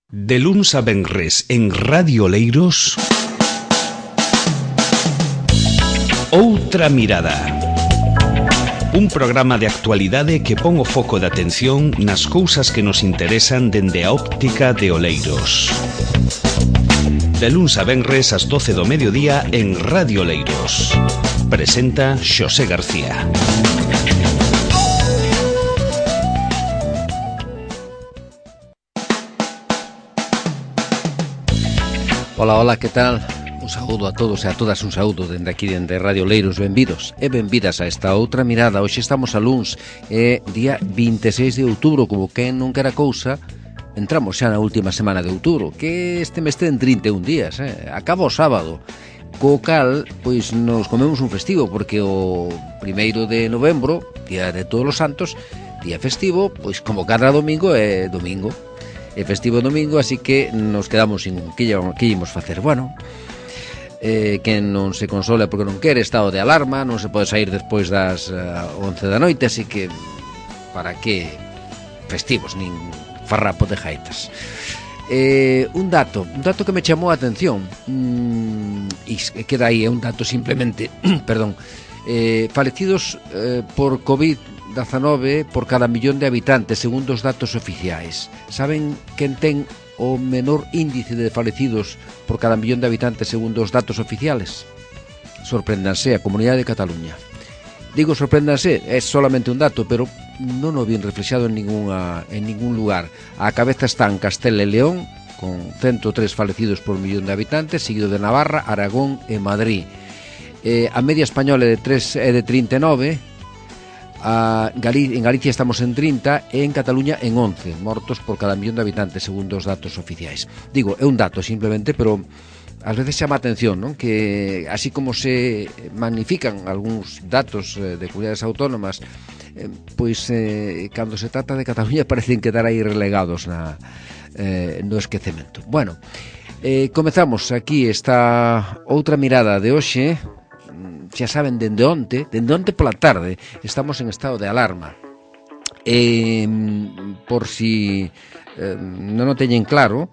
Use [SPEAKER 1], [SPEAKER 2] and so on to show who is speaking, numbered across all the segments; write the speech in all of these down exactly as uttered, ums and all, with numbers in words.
[SPEAKER 1] De luns a venres en Radio Oleiros, Outra Mirada. Un programa de actualidade que pon o foco de atención nas cousas que nos interesan dende a óptica de Oleiros. De luns a venres ás doce do mediodía en Radio Oleiros. Presenta Xosé García.
[SPEAKER 2] Ola, ola, que tal? Un saúdo a todos e a todas, un saúdo dende aquí, dende Radio Oleiros. Benvidos e benvidas a esta outra mirada. Hoxe estamos a luns, é día vinte e seis de outubro, como que non quera cousa. Entramos xa na última semana de outubro, que este mes ten trinta e un días, eh? Acaba o sábado. Co cal, pois nos comemos un festivo, porque o primeiro de novembro, día de todos os santos, día festivo, pois como cada domingo é domingo. É festivo domingo, así que nos quedamos sin que íamos facer. Bueno, eh, que non se console porque non quere, estado de alarma, non se pode sair despois das uh, once da noite, así que para que festivos, nin farrapo de jaitas. Eh, un dato, un dato que me chamou a atención, mm, e queda aí, é un dato simplemente, perdón, eh, falecidos eh, por COVID diecinueve por cada millón de habitantes, segundo os datos oficiais. Saben quen ten o menor índice de falecidos por cada millón de habitantes segundo os datos oficiales? Sorpréndanse, a Comunidade de Cataluña. Digo sorpréndanse, é solamente un dato, pero non o bien reflexado en, ninguna, en ningún lugar. A cabeza están Castela e León, con ciento tres falecidos por millón de habitantes, seguido de Navarra, Aragón e Madrid. Eh, a media española é de, tres, é de trinta e nove, a Gali- en Galicia estamos en trinta e en Cataluña en once mortos por cada millón de habitantes segundo os datos oficiais. Digo, é un dato simplemente, pero ás veces chama a atención, non? Que así como se magnifican algúns datos eh, de comunidades autónomas, eh, pois eh, cando se trata de Cataluña parecen quedar aí relegados na, eh, no esquecemento. Bueno, eh, comezamos aquí esta outra mirada de hoxe. Xa saben, dende onte, dende onte pola tarde, estamos en estado de alarma. E, por si eh, non o teñen claro,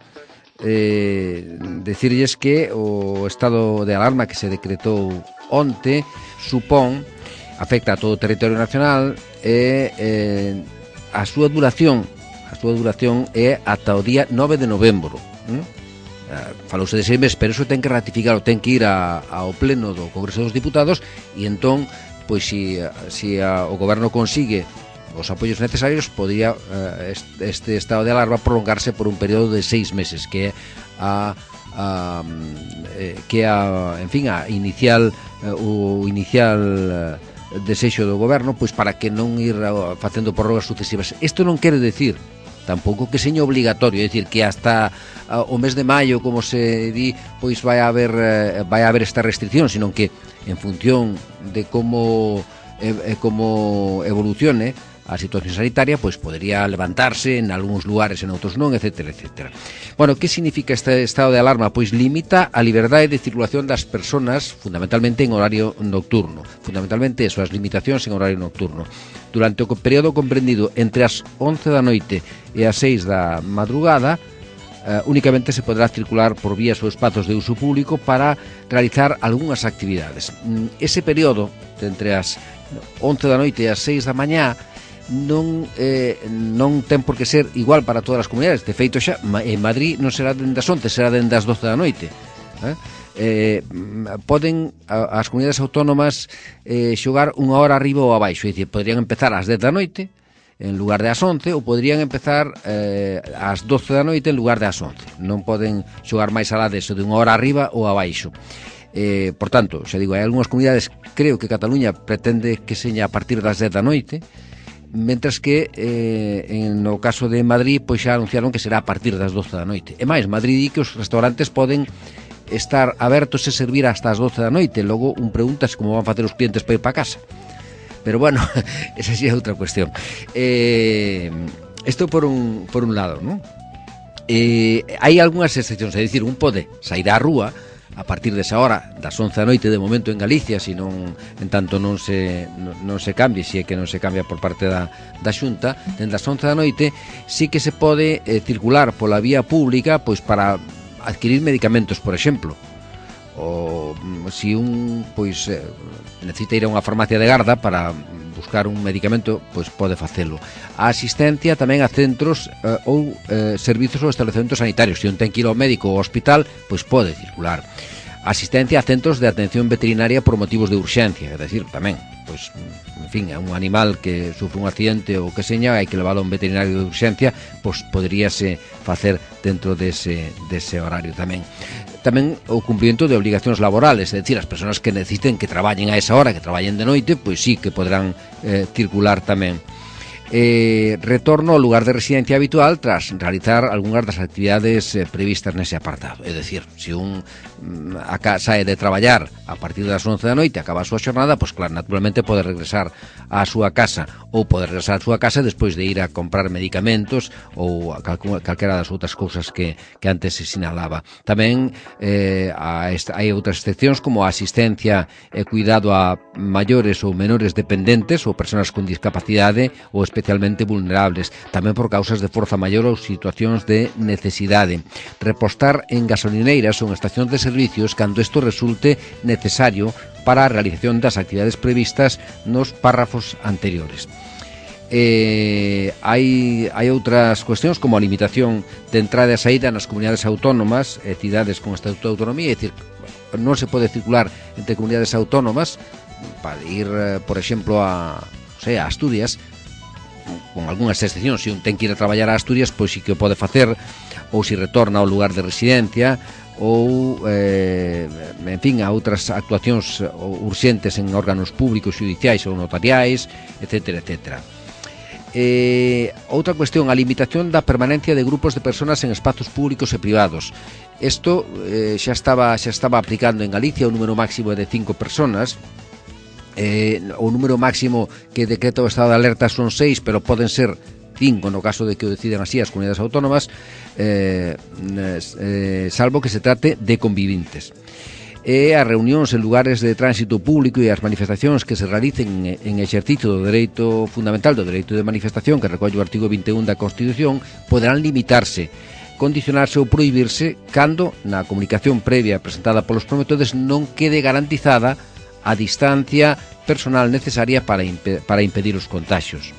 [SPEAKER 2] eh, decirlles que o estado de alarma que se decretou onte supón, afecta a todo o territorio nacional e eh, a súa duración, a súa duración é ata o día nove de novembro. ¿Mm? Falouse de seis meses, pero eso ten que ratificar, ten que ir a, ao pleno do Congreso dos Diputados e entón, pois si, si a, o goberno consigue os apoios necesarios, podría uh, este estado de alarma prolongarse por un período de seis meses, que é a, a eh, que a, en fin, a inicial uh, o inicial uh, desexo do goberno, pois para que non ir uh, facendo prórrogas sucesivas. Isto non quere decir tampouco que seña obligatorio, é dicir, que hasta uh, o mes de maio, como se di, pois vai haber uh, vai haber esta restricción, sino que en función de como eh, como evolucione a situación sanitaria, pois podería levantarse en algúns lugares, en outros non, etcétera, etcétera. Bueno, que significa este estado de alarma? Pois limita a liberdade de circulación das persoas, fundamentalmente en horario nocturno. Fundamentalmente eso, as limitacións en horario nocturno. Durante o período comprendido entre as once da noite e as seis da madrugada, uh, únicamente se poderá circular por vías ou espazos de uso público para realizar algunhas actividades. Ese período, entre as once da noite e as seis da mañá, non eh, non ten por que ser igual para todas as comunidades. De feito, xa en Madrid non será dende as once, será dende as doce da noite. Eh? Eh, poden as comunidades autónomas eh, xogar unha hora arriba ou abaixo, é dicir, poderían empezar ás dez da noite en lugar de ás once, ou poderían empezar eh, ás doce da noite en lugar de ás once. Non poden xogar máis alá deso, de unha hora arriba ou abaixo. Eh, por tanto, xa digo, hai algunhas comunidades, creo que Cataluña pretende que seña a partir das dez da noite, mentras que eh, en no caso de Madrid pois xa anunciaron que será a partir das doce da noite. E máis, Madrid di que os restaurantes poden estar abertos e servir hasta as doce da noite. Logo un preguntas como van facer os clientes para ir para casa. Pero bueno, esa sí é outra cuestión. Eh, isto por un, por un lado, non? Eh, hai algunhas excepcións, é dicir, un pode sair á rúa a partir desa hora, das once da noite de momento en Galicia, se non, en tanto non se, non, non se cambie, se é que non se cambia por parte da, da Xunta, dende as once da noite sí que se pode eh, circular pola vía pública pois para adquirir medicamentos, por exemplo, ou se un pois eh, necesita ir a unha farmacia de Garda para buscar un medicamento, pois pode facelo. A asistencia tamén a centros eh, ou eh, servizos ou establecementos sanitarios. Se un ten que ir ao médico ou ao hospital, pois pode circular. Asistencia a centros de atención veterinaria por motivos de urxencia, é dicir, tamén, pois, en fin, a un animal que sufre un accidente ou que seña, hai que leválo a un veterinario de urxencia, pois poderíase facer dentro dese, dese horario tamén. Tamén o cumprimento de obligacións laborales, é dicir, as persoas que necesiten que traballen a esa hora, que traballen de noite, pois sí que poderán eh, circular tamén. Eh, retorno ao lugar de residencia habitual tras realizar algunhas das actividades eh, previstas nese apartado. É dicir, se un mm, acá sae de traballar a partir das once da noite, acaba a súa xornada, pois claro, naturalmente pode regresar á súa casa, ou pode regresar á súa casa despois de ir a comprar medicamentos ou a calcu- calquera das outras cousas que, que antes se sinalaba. Tamén eh, a esta, hai outras excepcións como a asistencia e cuidado a maiores ou menores dependentes ou persoas con discapacidade ou especialmente vulnerables, tamén por causas de forza maior ou situacións de necesidade. Repostar en gasolineiras ou en estacións de servicios cando isto resulte necesario para a realización das actividades previstas nos párrafos anteriores. Eh, hai, hai outras cuestións como a limitación de entrada e saída nas comunidades autónomas e cidades con estatuto de autonomía, é dicir, non se pode circular entre comunidades autónomas para ir, por exemplo, a, non sei, a Asturias, con algunhas excepcións. Se un ten que ir a traballar a Asturias, pois sí que o pode facer, ou se retorna ao lugar de residencia, ou, eh, en fin, a outras actuacións urxentes en órganos públicos, judiciais ou notariais, etcétera, etcétera. Eh, outra cuestión, a limitación da permanencia de grupos de persoas en espazos públicos e privados. Isto eh, xa estaba xa estaba aplicando en Galicia, o número máximo de cinco persoas. Eh, o número máximo que decreta o estado de alerta son seis, pero poden ser cinco no caso de que o decidan así as comunidades autónomas, eh, eh, salvo que se trate de convivintes. E as reunións en lugares de tránsito público e as manifestacións que se realicen en exercicio do dereito fundamental do dereito de manifestación que recolle o artigo vinte e un da Constitución poderán limitarse, condicionarse ou prohibirse cando na comunicación previa presentada polos promotores non quede garantizada a distancia personal necesaria para, impe- para impedir os contagios.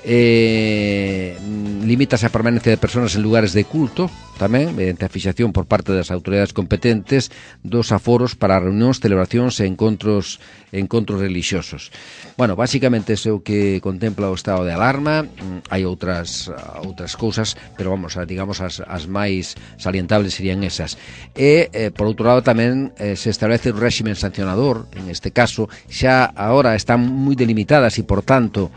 [SPEAKER 2] Eh, limítase a permanencia de persoas en lugares de culto, tamén, mediante a fixación por parte das autoridades competentes dos aforos para reunións, celebracións e encontros, encontros religiosos. Bueno, basicamente é o que contempla o estado de alarma. Hai outras outras cousas, pero vamos, digamos, as, as máis salientables serían esas. E, eh, por outro lado, tamén eh, se establece un réximen sancionador, en este caso, xa agora están moi delimitadas e, por tanto,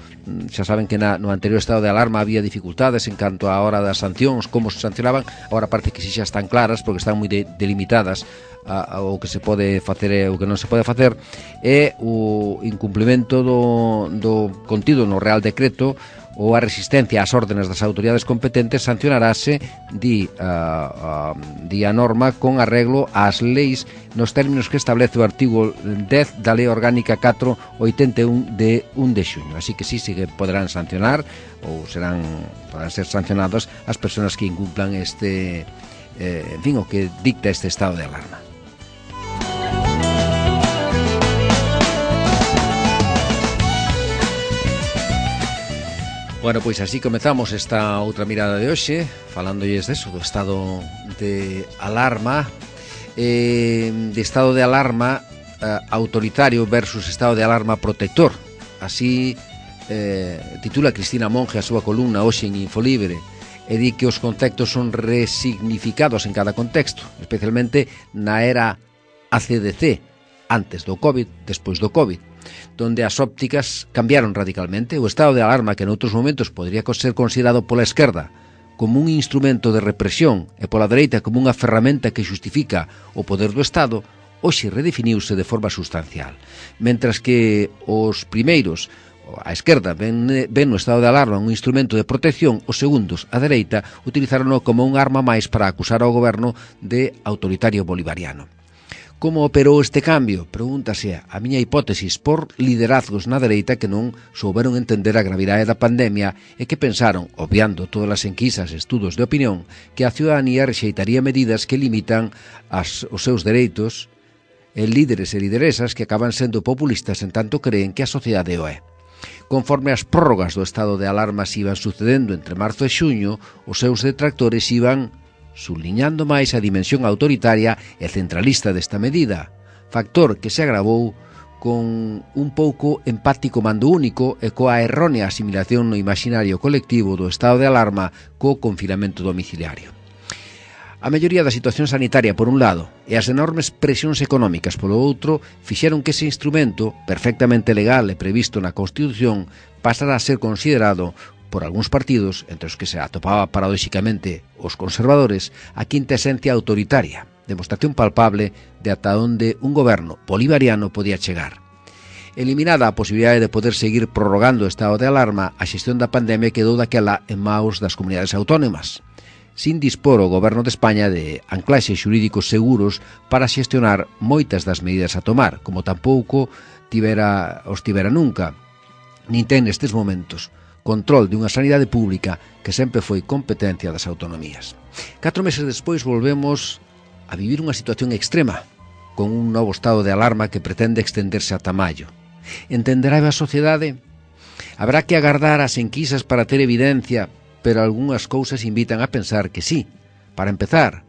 [SPEAKER 2] xa saben que na, no anterior estado de alarma había dificultades en canto á hora das sancións, como se sancionaban. Agora parece que si xa están claras porque están moi de, delimitadas a, a, o que se pode facer e o que non se pode facer, e o incumplimento do, do contido no Real Decreto ou a resistencia ás órdenes das autoridades competentes sancionarase, di, a, a, di a norma, con arreglo ás leis nos términos que establece o artigo dez da Lei Orgánica catro oitenta e un de un de xuño. Así que sí, sí que poderán sancionar ou serán poderán ser sancionados as persoas que incumplan este, eh, en fin, o que dicta este estado de alarma. Bueno, pois así comezamos esta outra mirada de hoxe, falándolles deso, do estado de alarma, eh, de estado de alarma eh, autoritario versus estado de alarma protector. Así eh, titula Cristina Monge a súa columna hoxe en Infolibre, e di que os contextos son resignificados en cada contexto, especialmente na era A C D C, antes do COVID, despois do COVID, donde as ópticas cambiaron radicalmente. O estado de alarma, que noutros momentos podría ser considerado pola esquerda como un instrumento de represión e pola dereita como unha ferramenta que xustifica o poder do Estado, hoxe redefiniuse de forma sustancial. Mentras que os primeiros, a esquerda, ven, ven no estado de alarma un instrumento de protección, os segundos, a dereita, utilizarono como un arma máis para acusar ao goberno de autoritario bolivariano. Como operou este cambio? Pregúntase a miña hipótesis por liderazgos na dereita que non souberon entender a gravidade da pandemia e que pensaron, obviando todas as enquisas e estudos de opinión, que a ciudadanía rexeitaría medidas que limitan as, os seus dereitos e líderes e lideresas que acaban sendo populistas en tanto creen que a sociedade o é. Conforme as prórrogas do estado de alarma se iban sucedendo entre marzo e xuño, os seus detractores iban subliñando máis a dimensión autoritaria e centralista desta medida, factor que se agravou con un pouco empático mando único e coa errónea asimilación no imaginario colectivo do estado de alarma co confinamento domiciliario. A melloría da situación sanitaria por un lado e as enormes presións económicas polo outro fixeron que ese instrumento, perfectamente legal e previsto na Constitución, pasara a ser considerado por algúns partidos, entre os que se atopaba paradóxicamente os conservadores, a quinta esencia autoritaria, demostración palpable de ata onde un goberno bolivariano podía chegar. Eliminada a posibilidade de poder seguir prorrogando o estado de alarma, a xestión da pandemia quedou daquela en maus das comunidades autónomas, sin dispor o goberno de España de anclaxes xurídicos seguros para xestionar moitas das medidas a tomar, como tampouco tivera, os tivera nunca, nin ten nestes momentos control de unha sanidade pública que sempre foi competencia das autonomías. Catro meses despois volvemos a vivir unha situación extrema, con un novo estado de alarma que pretende extenderse ata maio. Entenderá a sociedade? Habrá que agardar as enquisas para ter evidencia, pero algunhas cousas invitan a pensar que sí. Para empezar,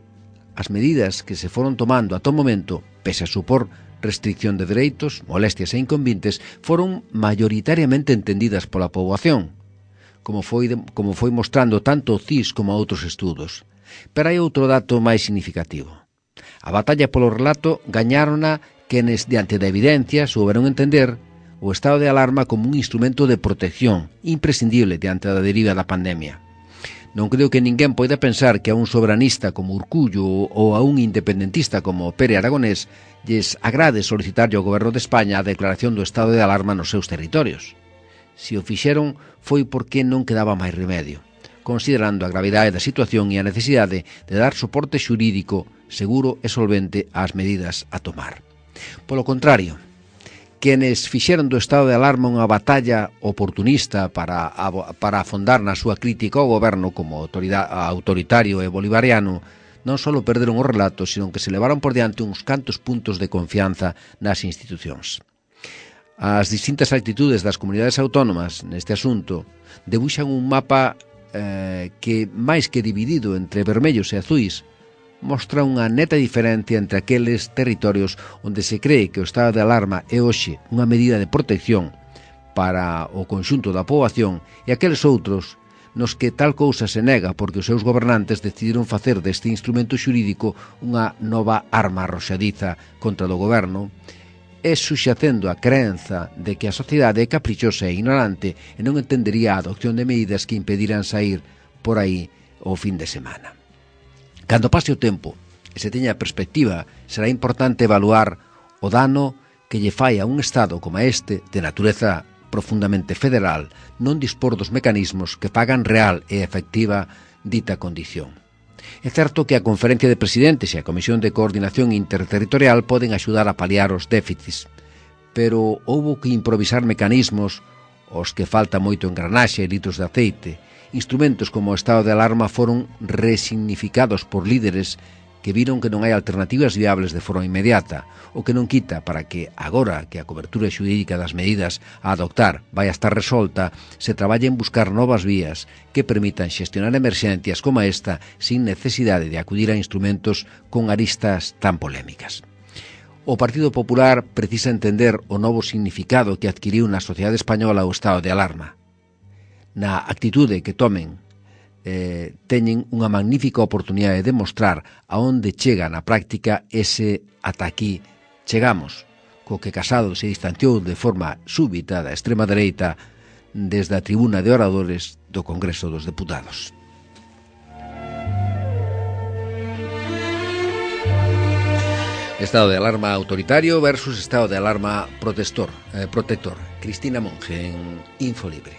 [SPEAKER 2] as medidas que se foron tomando ata o momento, pese a supor restricción de dereitos, molestias e inconvintes, foron maioritariamente entendidas pola poboación, como foi, como foi mostrando tanto o C I S como outros estudos. Pero hai outro dato máis significativo. A batalla polo relato gañárona quenes, diante da evidencia, souberon entender o estado de alarma como un instrumento de protección imprescindible diante da deriva da pandemia. Non creo que ninguén poida pensar que a un soberanista como Urcullo ou a un independentista como Pere Aragonés lles agrade solicitarlle ao goberno de España a declaración do estado de alarma nos seus territorios. Se o fixeron foi porque non quedaba máis remedio, considerando a gravidade da situación e a necesidade de dar soporte xurídico seguro e solvente ás medidas a tomar. Polo contrario, quenes fixeron do estado de alarma unha batalla oportunista para, para afondar na súa crítica ao goberno como autoritario e bolivariano, non só perderon o relato, sino que se levaron por diante uns cantos puntos de confianza nas institucións. As distintas actitudes das comunidades autónomas neste asunto debuxan un mapa eh, que, máis que dividido entre vermellos e azuis, mostra unha neta diferencia entre aqueles territorios onde se cree que o estado de alarma é hoxe unha medida de protección para o conxunto da poboación e aqueles outros nos que tal cousa se nega porque os seus gobernantes decidiron facer deste instrumento xurídico unha nova arma arroxadiza contra do goberno, e suxacendo a creenza de que a sociedade é caprichosa e ignorante e non entendería a adopción de medidas que impediran sair por aí o fin de semana. Cando pase o tempo e se teña a perspectiva, será importante evaluar o dano que lle fai a un Estado como este, de natureza profundamente federal, non dispor dos mecanismos que fagan real e efectiva dita condición. É certo que a Conferencia de Presidentes e a Comisión de Coordinación Interterritorial poden axudar a paliar os déficits, pero houbo que improvisar mecanismos os que falta moito engranaxe e litros de aceite. Instrumentos como o estado de alarma foron resignificados por líderes que viron que non hai alternativas viables de forma inmediata, o que non quita para que, agora que a cobertura xurídica das medidas a adoptar vai a estar resolta, se traballe en buscar novas vías que permitan xestionar emerxencias como esta sin necesidade de acudir a instrumentos con aristas tan polémicas. O Partido Popular precisa entender o novo significado que adquiriu na sociedade española o estado de alarma. Na actitude que tomen, Eh, teñen unha magnífica oportunidade de demostrar a onde chega na práctica ese ata aquí chegamos, co que Casado se distanciou de forma súbita da extrema dereita desde a tribuna de oradores do Congreso dos Deputados. Estado de alarma autoritario versus estado de alarma protector. Eh, protector. Cristina Monge en Infolibre.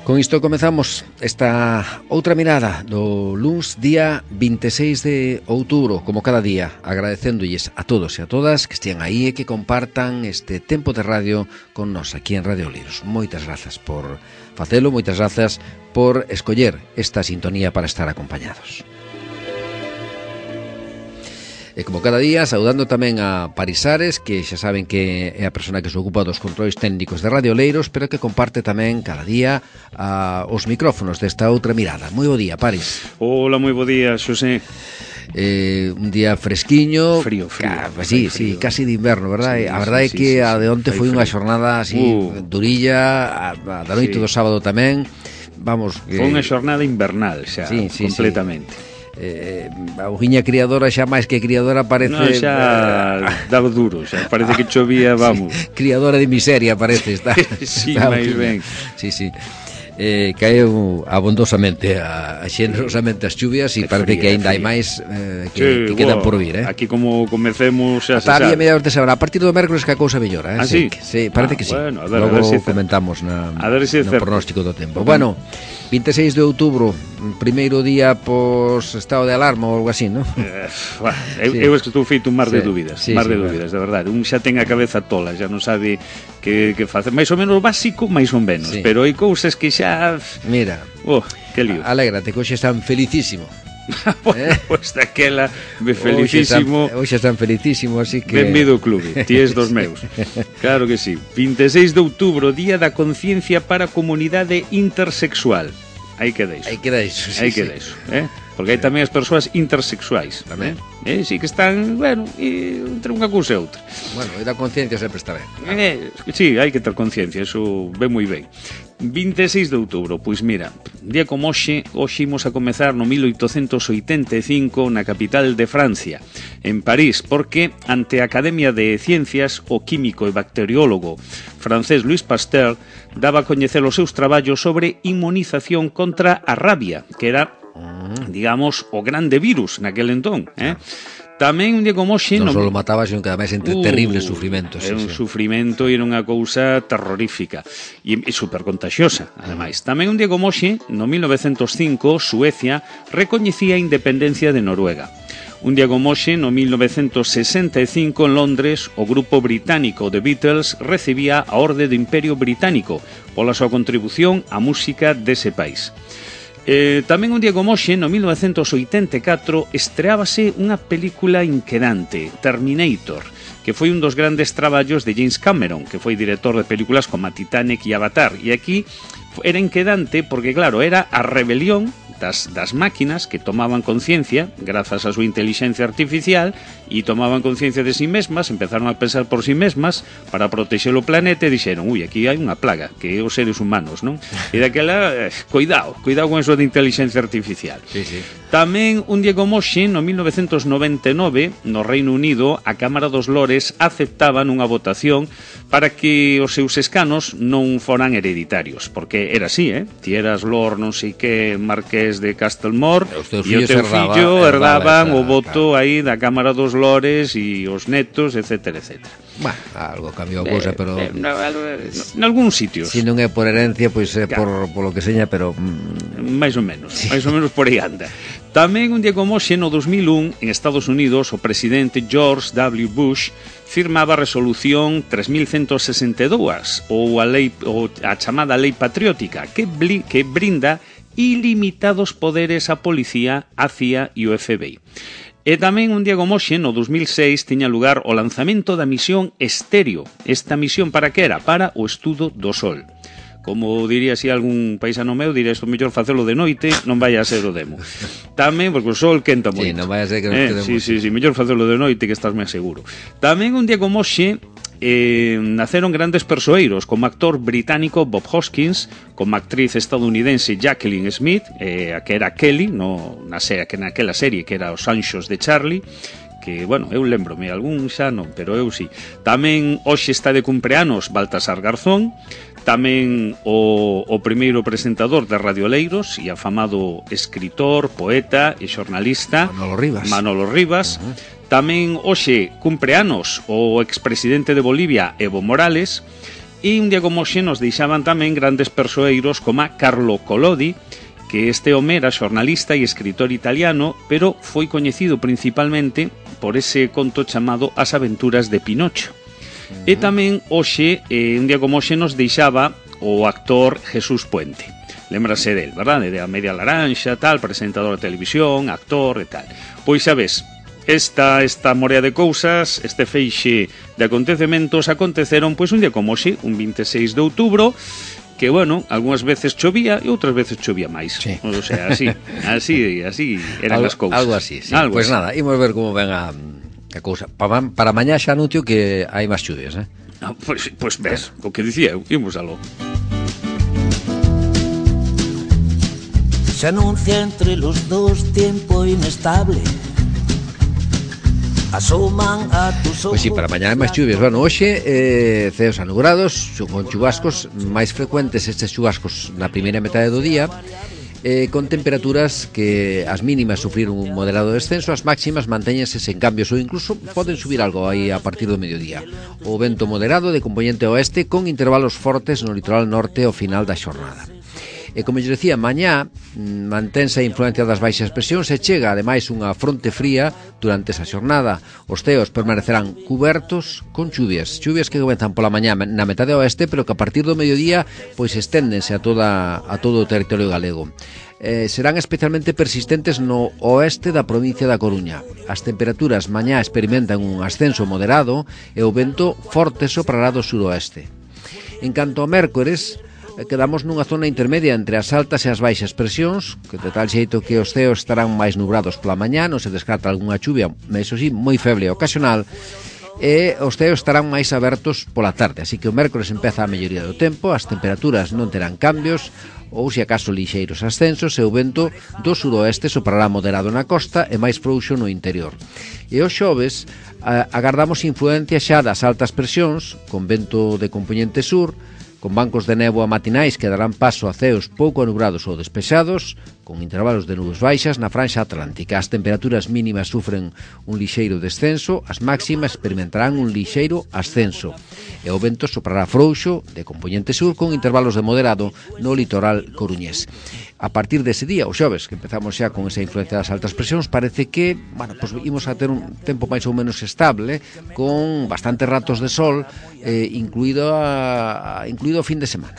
[SPEAKER 2] Con isto comezamos esta outra mirada do luns día vinte e seis de outubro, como cada día, agradecéndolles a todos e a todas que estean aí e que compartan este tempo de radio con nos aquí en Radio Oleiros. Moitas grazas por facelo, moitas grazas por escoller esta sintonía para estar acompañados. E como cada día, saudando tamén a Parisares, que xa saben que é a persona que se ocupa dos controis técnicos de Radio Oleiros, pero que comparte tamén cada día a, os micrófonos desta outra mirada. Moi bo día, Paris.
[SPEAKER 3] Hola, moi bo día, Xosé.
[SPEAKER 2] Eh, un día fresquiño,
[SPEAKER 3] frío, frío,
[SPEAKER 2] ca, sí,
[SPEAKER 3] frío.
[SPEAKER 2] sí, casi de inverno, verdad?
[SPEAKER 3] Sí,
[SPEAKER 2] a verdade é
[SPEAKER 3] sí,
[SPEAKER 2] que
[SPEAKER 3] sí,
[SPEAKER 2] a de onte foi unha
[SPEAKER 3] frío.
[SPEAKER 2] xornada así
[SPEAKER 3] uh.
[SPEAKER 2] durilla, a, a da noite
[SPEAKER 3] Sí.
[SPEAKER 2] do sábado tamén. Vamos,
[SPEAKER 3] Foi
[SPEAKER 2] eh,
[SPEAKER 3] unha xornada invernal xa,
[SPEAKER 2] sí, sí,
[SPEAKER 3] completamente.
[SPEAKER 2] Sí. Eh, a ujiña criadora xa máis que criadora parece
[SPEAKER 3] No, xa daba duro, xa parece que chovía, vamos.
[SPEAKER 2] Sí, criadora de miseria parece está.
[SPEAKER 3] Sí,
[SPEAKER 2] está
[SPEAKER 3] máis
[SPEAKER 2] Ujiña.
[SPEAKER 3] ben.
[SPEAKER 2] Sí, sí. Eh, caeu abondosamente a, a xenerosamente as chuvias e
[SPEAKER 3] É
[SPEAKER 2] parece
[SPEAKER 3] fría,
[SPEAKER 2] que aínda
[SPEAKER 3] é
[SPEAKER 2] hai
[SPEAKER 3] fría.
[SPEAKER 2] máis eh, que,
[SPEAKER 3] Sí,
[SPEAKER 2] que quedan
[SPEAKER 3] wow,
[SPEAKER 2] por vir, eh.
[SPEAKER 3] Aquí como comecemos xa se
[SPEAKER 2] Ata a
[SPEAKER 3] sabe.
[SPEAKER 2] mediados de semana, a partir do mércoles que a cousa mellora, eh?
[SPEAKER 3] Ah,
[SPEAKER 2] sí,
[SPEAKER 3] sí?
[SPEAKER 2] que, sí, parece
[SPEAKER 3] Ah,
[SPEAKER 2] que sí.
[SPEAKER 3] bueno, a ver,
[SPEAKER 2] Logo
[SPEAKER 3] a ver si é
[SPEAKER 2] comentamos na,
[SPEAKER 3] A ver si é
[SPEAKER 2] no
[SPEAKER 3] certo.
[SPEAKER 2] pronóstico do tempo. Bueno, vinte e seis de outubro, primeiro día pos estado de alarma ou algo así, ¿no?
[SPEAKER 3] Eh, bah, eu,
[SPEAKER 2] Sí.
[SPEAKER 3] eu es que estou feito un mar
[SPEAKER 2] Sí,
[SPEAKER 3] de dúbidas,
[SPEAKER 2] sí,
[SPEAKER 3] mar
[SPEAKER 2] sí,
[SPEAKER 3] de
[SPEAKER 2] bueno.
[SPEAKER 3] dúbidas, de verdade. Un xa ten a cabeza tola, xa non sabe que, que facer. Mais ou menos básico, máis ou menos,
[SPEAKER 2] Sí.
[SPEAKER 3] pero hai cousas que xa...
[SPEAKER 2] Mira,
[SPEAKER 3] Oh, que lío.
[SPEAKER 2] alégrate, que hoxe están felicísimo.
[SPEAKER 3] Bueno,
[SPEAKER 2] eh.
[SPEAKER 3] pois daquela, me felicísimo.
[SPEAKER 2] Hoxe están, hoxe están felicísimo, así que...
[SPEAKER 3] Benvido ao clube, ti és dos meus. Claro que sí. vinte e seis de outubro, Día da Conciencia para a Comunidade Intersexual. Aí queda iso.
[SPEAKER 2] Aí queda iso, sí,
[SPEAKER 3] Aí
[SPEAKER 2] sí.
[SPEAKER 3] queda iso, eh? Porque hai tamén as persoas intersexuais.
[SPEAKER 2] Tamén.
[SPEAKER 3] Eh? Eh, sí que están, bueno, e, entre unha cousa e outra.
[SPEAKER 2] Bueno, e da conciencia sempre está ben.
[SPEAKER 3] Eh, sí, hai que ter conciencia, eso ve moi ben. vinte e seis de outubro, pois mira, día como hoxe, hoxe imos a comezar no mil oitocentos oitenta e cinco na capital de Francia, en París, porque ante a Academia de Ciencias o químico e bacteriólogo francés Louis Pasteur daba a coñecer os seus traballos sobre inmunización contra a rabia, que era, digamos, o grande virus naquel entón, eh? Tamén un día como hoxe...
[SPEAKER 2] Non
[SPEAKER 3] no-
[SPEAKER 2] só mataba, sino que ademais entre
[SPEAKER 3] Uh,
[SPEAKER 2] terribles sufrimentos.
[SPEAKER 3] É
[SPEAKER 2] sí,
[SPEAKER 3] un
[SPEAKER 2] sí.
[SPEAKER 3] sufrimento e era unha cousa terrorífica e, e super contagiosa, ademais. Tamén un día como hoxe, no mil novecentos cinco, Suecia recoñecía a independencia de Noruega. Un día como hoxe, no mil novecentos sesenta e cinco, en Londres, o grupo británico The Beatles recibía a Orde do Imperio Británico pola súa contribución á música dese país. Eh, tamén un día como hoxe, no mil novecentos oitenta e catro, estreábase unha película inquedante, Terminator, que foi un dos grandes traballos de James Cameron, que foi director de películas como a Titanic e Avatar. E aquí era inquedante porque, claro, era a rebelión das, das máquinas que tomaban conciencia, grazas a súa inteligencia artificial, e tomaban conciencia de si mesmas, empezaron a pensar por si mesmas para protexer o planeta e dixeron, ui, aquí hai unha plaga, que é os seres humanos, non? E daquela, eh, cuidado, cuidado con eso de inteligencia artificial.
[SPEAKER 2] Sí, sí.
[SPEAKER 3] Tamén un día como hoxe, no mil novecentos noventa e nove, no Reino Unido, a Cámara dos Lores aceptaban unha votación para que os seus escanos non foran hereditarios, porque era así, eh? Ti eras Lord non sei que Marqués de Castelmore
[SPEAKER 2] E os teus
[SPEAKER 3] e o
[SPEAKER 2] fillos
[SPEAKER 3] teu
[SPEAKER 2] herdaba-
[SPEAKER 3] fillo
[SPEAKER 2] herdaba
[SPEAKER 3] herdaban
[SPEAKER 2] esa-
[SPEAKER 3] o voto
[SPEAKER 2] claro.
[SPEAKER 3] aí da Cámara dos Lores e os netos, etcétera, etcétera.
[SPEAKER 2] Bueno, algo cambiou a cousa, pero...
[SPEAKER 3] Eh, no, en algúns sitios.
[SPEAKER 2] Si non é por herencia, pois é
[SPEAKER 3] Claro.
[SPEAKER 2] por, por lo que seña, pero... mm,
[SPEAKER 3] máis ou menos, sí. máis ou menos por aí anda. Tamén un día como hoxe, no dos mil un, en Estados Unidos, o presidente George W. Bush firmaba a resolución tres mil ciento sesenta e dous, ou a, lei, ou a chamada Lei Patriótica, que, bli, que brinda ilimitados poderes á policía, á C I A e o F B I. E tamén un día como hoxe, no dos mil seis, tiña lugar o lanzamento da misión Estéreo. Esta misión para que era? Para o estudo do Sol. Como diría así algún paisano meu, diría isto mellor facelo de noite, non vai a ser o demo. Tamén, porque o sol quenta moito.
[SPEAKER 2] Sí, non vai a ser que nos
[SPEAKER 3] eh,
[SPEAKER 2] quedemos.
[SPEAKER 3] Sí, sí, sí, mellor facelo de noite que estás máis seguro. Tamén un día como hoxe, eh, naceron grandes persoeiros, como actor británico Bob Hoskins, como actriz estadounidense Jacqueline Smith, eh, a que era Kelly, no, na serie, que naquela serie que era Os Anxos de Charlie, que, bueno, eu lembrome, algún xa non, pero eu sí. Tamén hoxe está de cumpleanos Baltasar Garzón, tamén o, o primeiro presentador de Radio Oleiros e afamado escritor, poeta e xornalista
[SPEAKER 2] Manolo Rivas.
[SPEAKER 3] Manolo Rivas. Uh-huh. Tamén hoxe cumpleanos o expresidente de Bolivia Evo Morales E un día como hoxe nos deixaban tamén grandes persoeiros como Carlo Collodi, que este home era xornalista e escritor italiano, pero foi coñecido principalmente por ese conto chamado As aventuras de Pinocho. Uh-huh. E tamén hoxe, eh, un día como hoxe, nos deixaba o actor Jesús Puente. Lémbrase del, verdade? De A Media Laranxa, tal, presentador de televisión, actor e tal. Pois xa ves, esta, esta morea de cousas, este feixe de acontecementos aconteceron pois un día como hoxe, un veintiséis de outubro, que, bueno, algunhas veces chovía e outras veces chovía máis.
[SPEAKER 2] Sí.
[SPEAKER 3] O sea, así, así, así eran
[SPEAKER 2] algo,
[SPEAKER 3] as cousas.
[SPEAKER 2] Algo así, sí.
[SPEAKER 3] Algo
[SPEAKER 2] pues
[SPEAKER 3] así.
[SPEAKER 2] Nada, imos ver como ven a, a cousa. Para, para mañá xa anuncio que hai máis chuvias, eh?
[SPEAKER 3] Ah, pois, pois ves, o que dicía eu, imos aló.
[SPEAKER 4] Se anuncia entre los dos tiempo inestable. Asoman a tus ojos.
[SPEAKER 2] Pois sí, para mañá hai máis chuvias. Bueno, hoxe eh, ceos anugrados, con chubascos máis frecuentes, estes chubascos na primeira metade do día, eh, con temperaturas que as mínimas sufriron un moderado descenso, as máximas mantéñense sen cambios ou incluso poden subir algo aí a partir do mediodía. O vento moderado de componente oeste con intervalos fortes no litoral norte ao final da xornada. E como eu decía, mañá mantense a influencia das baixas presións e chega ademais unha fronte fría durante esa xornada. Os ceos permanecerán cubertos con chuvias, chuvias que comenzan pola mañá na metade oeste, pero que a partir do mediodía pois esténdense a toda a todo o territorio galego. Eh, serán especialmente persistentes no oeste da provincia da Coruña. As temperaturas mañá experimentan un ascenso moderado e o vento forte soprará do suroeste. En canto a mércores, quedamos nunha zona intermedia entre as altas e as baixas presións, que de tal xeito que os ceos estarán máis nubrados pola mañá, non se descarta algunha chuvia, iso sí, moi feble e ocasional, e os ceos estarán máis abertos pola tarde, así que o mércores empeza a melloría do tempo, as temperaturas non terán cambios, ou se acaso lixeiros ascensos, e o vento do suroeste soprará moderado na costa e máis frouxo no interior. E os xoves agardamos influencia xa das altas presións, con vento de componente sur, con bancos de néboa matinais que darán paso a ceos pouco anubrados ou despexados, con intervalos de nubes baixas na franxa atlántica. As temperaturas mínimas sufren un lixeiro descenso, as máximas experimentarán un lixeiro ascenso, e o vento soprará frouxo de componente sur con intervalos de moderado no litoral coruñés. A partir dese día, o xoves, que empezamos xa con esa influencia das altas presións, parece que, bueno, pues imos a ter un tempo máis ou menos estable, con bastantes ratos de sol, eh, incluído a, incluído o fin de semana.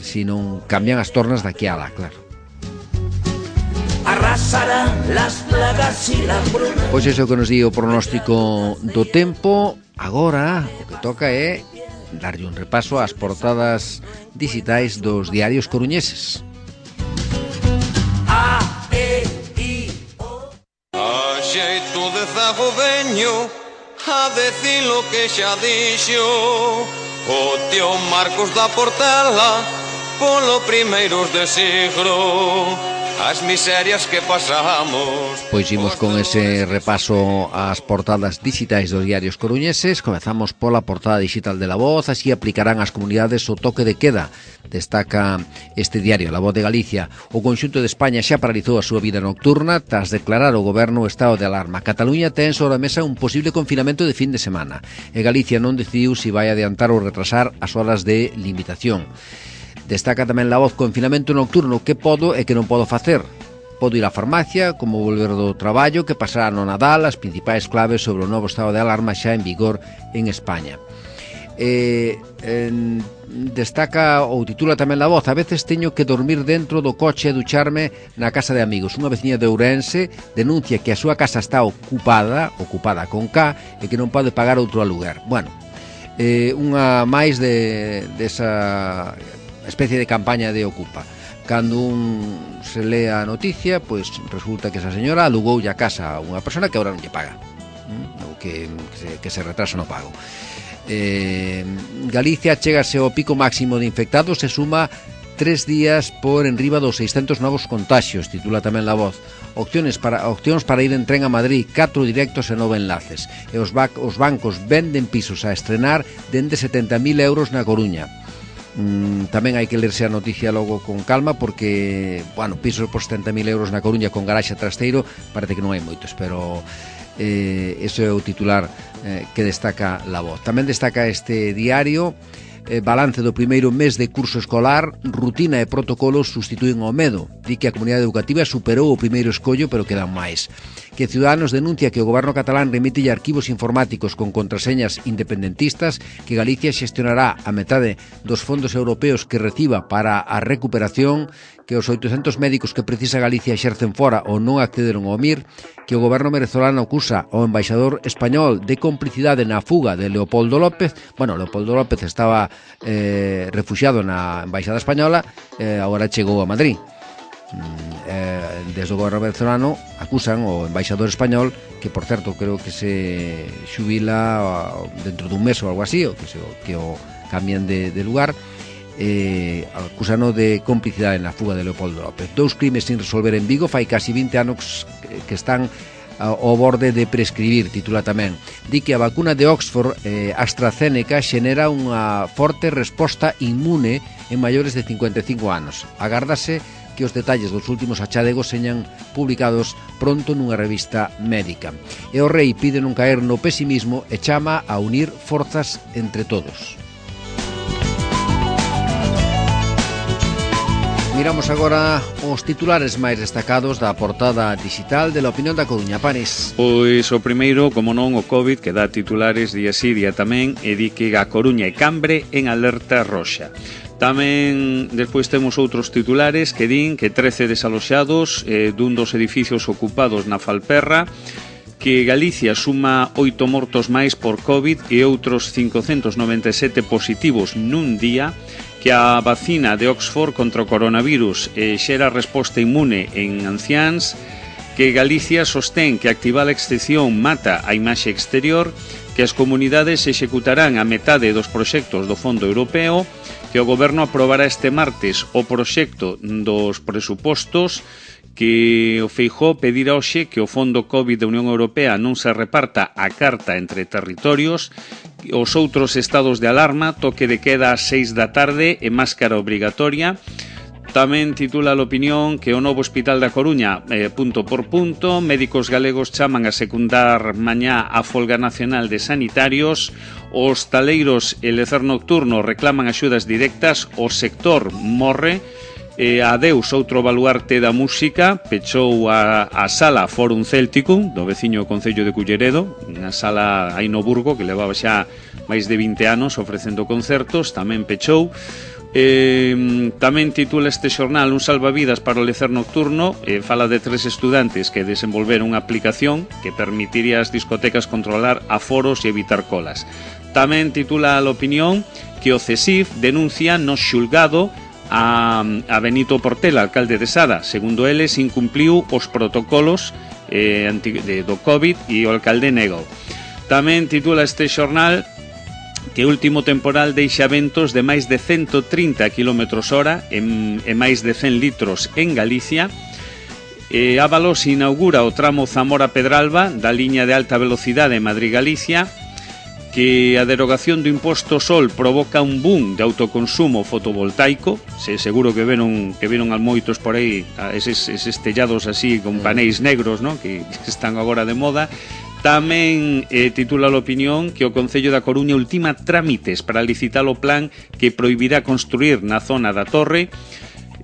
[SPEAKER 2] Si non cambian as tornas daqui a lá, claro.
[SPEAKER 4] Arrasarán las plagas y la bruna.
[SPEAKER 2] Pois iso que nos di o pronóstico do tempo. Agora o que toca é darlle un repaso ás portadas digitais dos diarios coruñeses.
[SPEAKER 4] A, E, I, O.
[SPEAKER 5] A xeito de zago veño a decir lo que xa dixo o tío Marcos da Portela polo primeiros de siglo. As miserias que pasamos.
[SPEAKER 2] Pois imos con ese repaso ás portadas digitais dos diarios coruñeses. Comezamos pola portada digital de La Voz. Así aplicarán as comunidades o toque de queda, destaca este diario, La Voz de Galicia. O conxunto de España xa paralizou a súa vida nocturna tras declarar o goberno o estado de alarma. Cataluña ten sobre a mesa un posible confinamento de fin de semana e Galicia non decidiu se vai adiantar ou retrasar as horas de limitación. Destaca tamén La Voz: confinamento nocturno, que podo e que non podo facer. Podo ir á farmacia, como volver do traballo, que pasará no Nadal, as principais claves sobre o novo estado de alarma xa en vigor en España. Eh, en, destaca ou titula tamén La Voz: a veces teño que dormir dentro do coche e ducharme na casa de amigos. Unha veciña de Ourense denuncia que a súa casa está ocupada, ocupada con K, e que non pode pagar outro aluguer. Bueno, eh, unha máis de desa especie de campaña de Ocupa. Cando un se lee a noticia, pois resulta que esa señora alugoulle a casa a unha persona que agora non lle paga, ou que, que, se, que se retrasa no pago. Eh, Galicia chegase ao pico máximo de infectados e suma tres días por enriba dos seiscentos novos contaxios, titula tamén La Voz. Opciones para, opcións para ir en tren a Madrid, catro directos e nove enlaces. E os, bac, os bancos venden pisos a estrenar dende setenta mil euros na Coruña. Mm, tamén hai que lerse a noticia logo con calma, porque, bueno, pisos por setenta mil euros na Coruña con garaxe trasteiro parece que non hai moitos, pero eh, ese é o titular eh, que destaca La Voz. Tamén destaca este diario eh, balance do primeiro mes de curso escolar, rutina e protocolos sustitúen ao medo. Di que a comunidade educativa superou o primeiro escollo, pero quedan máis. Que Ciudadanos denuncia que o goberno catalán remite arquivos informáticos con contraseñas independentistas, que Galicia xestionará a metade dos fondos europeos que reciba para a recuperación, que os oitocentos médicos que precisa Galicia exercen fora ou non accederon ao M I R, que o goberno venezolano acusa ao embaixador español de complicidade na fuga de Leopoldo López. Bueno, Leopoldo López estaba eh, refuxiado na embaixada española, eh, agora chegou a Madrid. Eh, desde o goberno venezolano acusan o embaixador español, que por certo creo que se xubila dentro dun mes ou algo así, ou que, se, que o cambien de, de lugar, eh, acusano de complicidade na fuga de Leopoldo López. Dous crimes sin resolver en Vigo, fai casi vinte anos que están ao borde de prescribir, titula tamén. Di que a vacuna de Oxford, eh, AstraZeneca, xenera unha forte resposta inmune en maiores de cincuenta e cinco anos. Agárdase que os detalles dos últimos achadegos señan publicados pronto nunha revista médica. E o rei pide non caer no pesimismo e chama a unir forzas entre todos. Miramos agora os titulares máis destacados da portada digital de La Opinión da Coruña. Paris.
[SPEAKER 3] Pois o primeiro, como non, o COVID, que dá titulares día sí, día tamén, e di que a Coruña e Cambre en alerta roxa. Tamén despois temos outros titulares que din que trece desaloxados eh, dun dos edificios ocupados na Falperra, que Galicia suma oito mortos máis por COVID e outros cincocentos noventa e sete positivos nun día, que a vacina de Oxford contra o coronavirus eh, xera resposta inmune en anciáns, que Galicia sostén que activar a excepción mata a imaxe exterior, que as comunidades executarán a metade dos proxectos do Fondo Europeo, que o goberno aprobará este martes o proxecto dos presupostos, que o Feijóo pedirá hoxe que o Fondo COVID da Unión Europea non se reparta a carta entre territorios, os outros estados de alarma, toque de queda ás seis da tarde e máscara obrigatoria. Tamén titula a Opinión que o novo Hospital da Coruña, eh, punto por punto, médicos galegos chaman a secundar mañá a folga nacional de sanitarios, os taleiros e lecer nocturno reclaman axudas directas, o sector morre, eh, adeus outro baluarte da música, pechou a, a sala Fórum Céltico do veciño concello de Culleredo, unha sala aí no Burgo que levaba xa máis de vinte anos ofrecendo concertos, tamén pechou. Eh, tamén titula este xornal un salvavidas para o lecer nocturno, eh, fala de tres estudantes que desenvolveron unha aplicación que permitiría ás discotecas controlar aforos e evitar colas. Tamén titula a Opinión que o CESIF denuncia no xulgado a, a Benito Portela, alcalde de Sada. Segundo eles, incumpliu os protocolos eh, anti, de, do COVID e o alcalde negou. Tamén titula este xornal que o último temporal deixa ventos de máis de ciento trinta quilómetros hora en, en máis de cen litros en Galicia. Eh, Ábalos inaugura o tramo Zamora-Pedralba da liña de alta velocidade Madrid-Galicia, que a derogación do imposto sol provoca un boom de autoconsumo fotovoltaico. Se seguro que veron que viron al moitos por aí eses, eses tellados así con paneis negros, ¿no?, que están agora de moda. Tamén eh, titula a Opinión que o Concello da Coruña ultima trámites para licitar o plan que prohibirá construir na zona da Torre.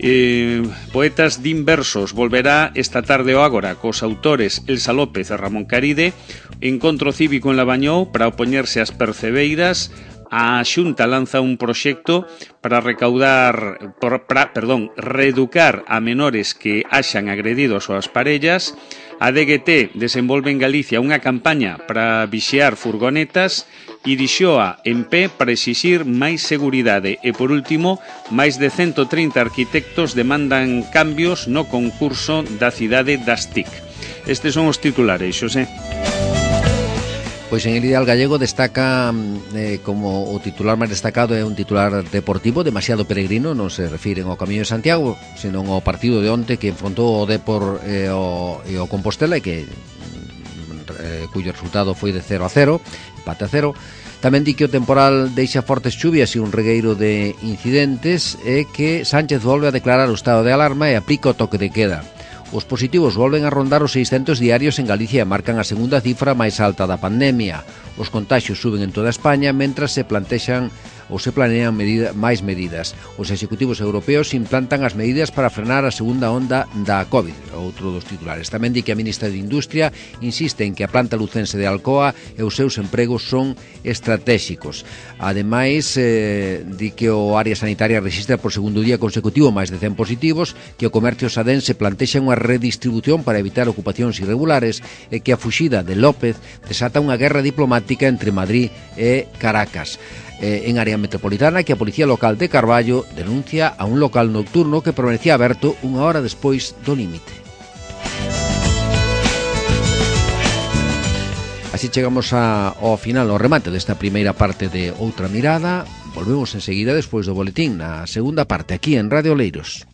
[SPEAKER 3] Eh, Poetas din versos volverá esta tarde o Ágora cos autores Elsa López e Ramón Caride. Encontro cívico en Labañou para opoñerse ás percebeiras. A Xunta lanza un proxecto para recaudar por, para, perdón, reeducar a menores que haxan agredido as súas parellas. A D G T desenvolve en Galicia unha campaña para vixiar furgonetas e Dixoa en pé para exixir máis seguridade. E, por último, máis de ciento trinta arquitectos demandan cambios no concurso da cidade das T I C. Estes son os titulares, Xosé.
[SPEAKER 2] Pois en el Ideal Gallego destaca eh, como o titular máis destacado é un titular deportivo demasiado peregrino, non se refiren ao Camiño de Santiago, senón ao partido de onte que enfrontou o Depor e o, e o Compostela, e que eh, cuyo resultado foi de cero a cero, empate a cero. Tamén di que o temporal deixa fortes chuvias e un regueiro de incidentes, e que Sánchez volve a declarar o estado de alarma e aplica o toque de queda. Os positivos volven a rondar os seiscentos diarios en Galicia e marcan a segunda cifra máis alta da pandemia. Os contaxios suben en toda España, mentras se plantexan ou se planean medida, máis medidas. Os executivos europeos implantan as medidas para frenar a segunda onda da COVID, outro dos titulares. Tamén di que a ministra de Industria insiste en que a planta lucense de Alcoa e os seus empregos son estratégicos. Ademais, eh, di que o área sanitaria resiste por segundo día consecutivo máis de cen positivos, que o comercio sadense plantexa unha redistribución para evitar ocupacións irregulares e que a fuxida de López desata unha guerra diplomática entre Madrid e Caracas. Eh, en área metropolitana, que a Policía Local de Carballo denuncia a un local nocturno que permanecía aberto unha hora despois do límite. Así chegamos a, ao final, ao remate desta primeira parte de Outra Mirada. Volvemos enseguida despois do boletín na segunda parte aquí en Radio Oleiros.